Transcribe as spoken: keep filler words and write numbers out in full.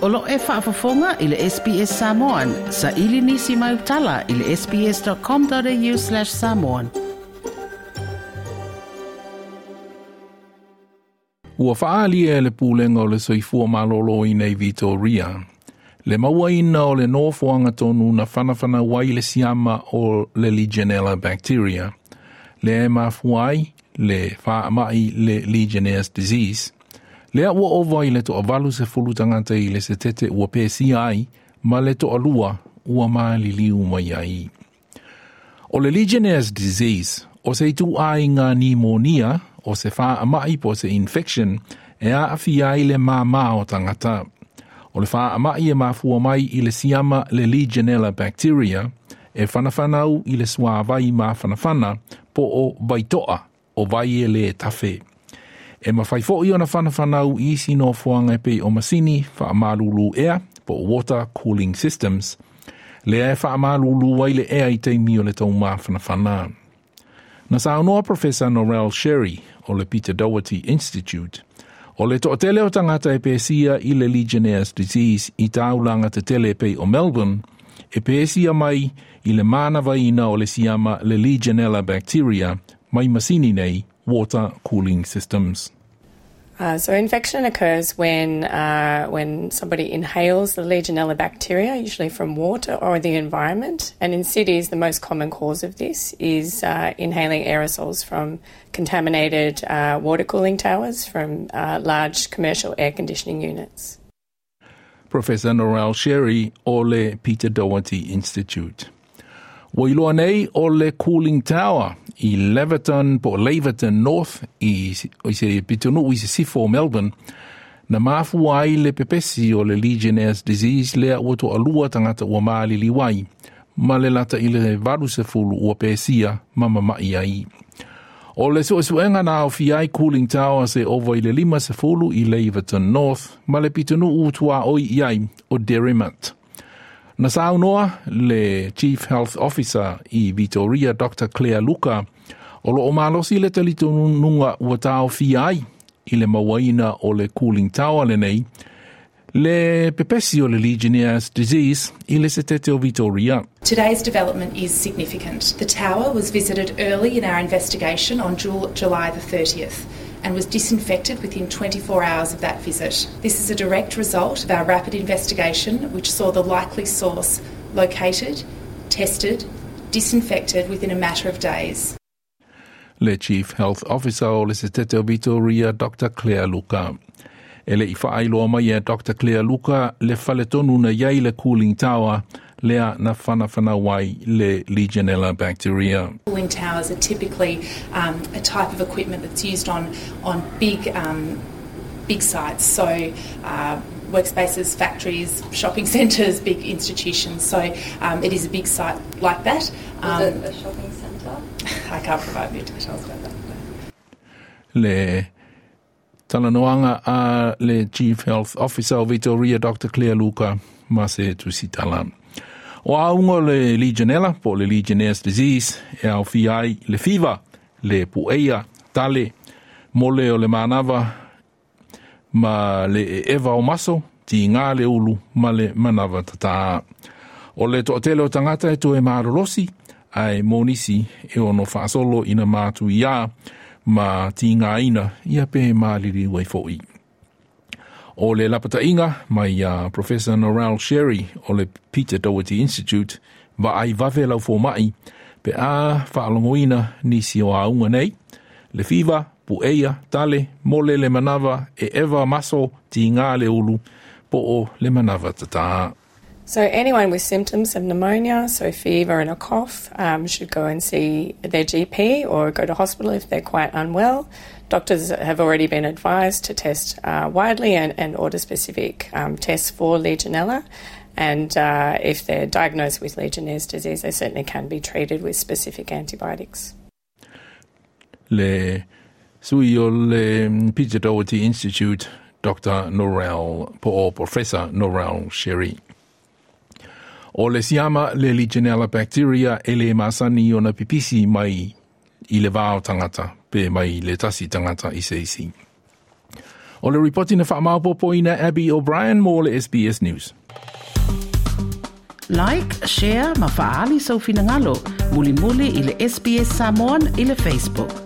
O lo e faafofoga i le S B S Samoan, sa ili nisi mai utala i le S B S dot com dot A U slash samoan. Ua faalia e le pulega o le soifua maloloina i Victoria le mauaina o le nofoaga tonu na fanafanau ai le siama o le Legionella bacteria, lea e mafua ai le faamai le Legionnaires disease, lea ua ova i le toavalu sefulu tagata i le setete ua pesia ai ma le toalua ua maliliu mai ai. O le Legionnaires disease o se ituaiga nimonia o se faamai po se infection e aafia ai le māmā o tagata. O le faamai e mafua mai i le siama le Legionella bacteria e fanafanau i le suavai mafanafana po o vaitoa o vai e le tafe. E mafai foi ona fanafanau i isi nofoaga e pei o masini faamalulu ea po o water cooling systems, lea e faamalulu ai le ea i taimi o le taumafanafana. Na saunoa Professor Narelle Sherry o le Peter Doherty Institute, o le toatele o tagata e pesia i le Legionnaires disease i taulaga tetele pei o Melbourne, e pesia mai i le manavaina o le siama le Legionella bacteria mai masini nei water cooling systems. Uh, so infection occurs when uh, when somebody inhales the Legionella bacteria, usually from water or the environment. And in cities, the most common cause of this is uh, inhaling aerosols from contaminated uh, water cooling towers from uh, large commercial air conditioning units. Professor Narelle Sherry o le Peter Doherty Institute. Ua iloa nei o le cooling tower i Laverton po Laverton North i, i se pitonuu i sisifo o Melbourne na mafua ai le pepesi o le Legionnaires disease, lea ua toalua tagata ua maliliu ai ma le lata i le valu sefulu ua pesia ma mama'i ai. O le suesuega na aofia ai cooling tower se ova i le lima sefulu i Laverton North ma le pitonuu tuaoi i ai o Derrimut. Na saunoa le Chief Health Officer i Victoria, Doctor Claire Luca, o lo o malosi le talitonuga ua taofia ai i le mauaina o le cooling tower lenei le pepesi o le Legionnaires disease i le setete o Victoria. Today's development is significant. The tower was visited early in our investigation on July the thirtieth and was disinfected within twenty-four hours of that visit. This is a direct result of our rapid investigation, which saw the likely source located, tested, disinfected within a matter of days. Le Chief Health Officer o le setete o Victoria, Doctor Claire Luca. E le i faailoa mai e Doctor Claire Luca le faletonu na iai le cooling tower lea na fanafanau ai le Legionella bacteria. Cooling towers are typically um, a type of equipment that's used on, on big, um, big sites, so uh, workspaces, factories, shopping centres, big institutions. So um, it is a big site like that. Um, is it a shopping centre? I can't provide you details about that. Le talanoaga a le Chief Health Officer o Victoria, Doctor Claire Luca, ma se tusitala. O auga o le Legionella, po le Legionnaires disease, e aofia ai le fiva, le pueia, tale, mole o le manava, ma le eva o maso, tigā le ulu, ma le manava tatā. O le toatele o tagata e toe malolosi, ae mo nisi e ono faasolo ina matuiā ma tigaina ia pe maliliu ai fo'i. O le lapataiga mai a Professor Narelle Sherry o le Peter Doherty Institute, vaai vave lau foma'i pe a faalogoina nisi o auga nei, le fiva, pueia, tale, mole le manava, e eva maso, tigā le ulu, po o le manava tatā. So anyone with symptoms of pneumonia, so fever and a cough, um, should go and see their G P or go to hospital if they're quite unwell. Doctors have already been advised to test uh, widely and, and order specific um, tests for Legionella. And uh, if they're diagnosed with Legionnaire's disease, they certainly can be treated with specific antibiotics. Le sui o le Peter Doherty Institute, Doctor Narelle, po o Professor Narelle Sherry. O le siama le Legionella bacteria e le masani ona pipisi mai i le vao tagata pe mai le tasi tagata i se isi. O le ripoti na faamaopoopoina Abby O'Brien mo le S B S News. Like, share ma fa'aali sou finagalo. Mulimuli i le S B S Samoan i le Facebook.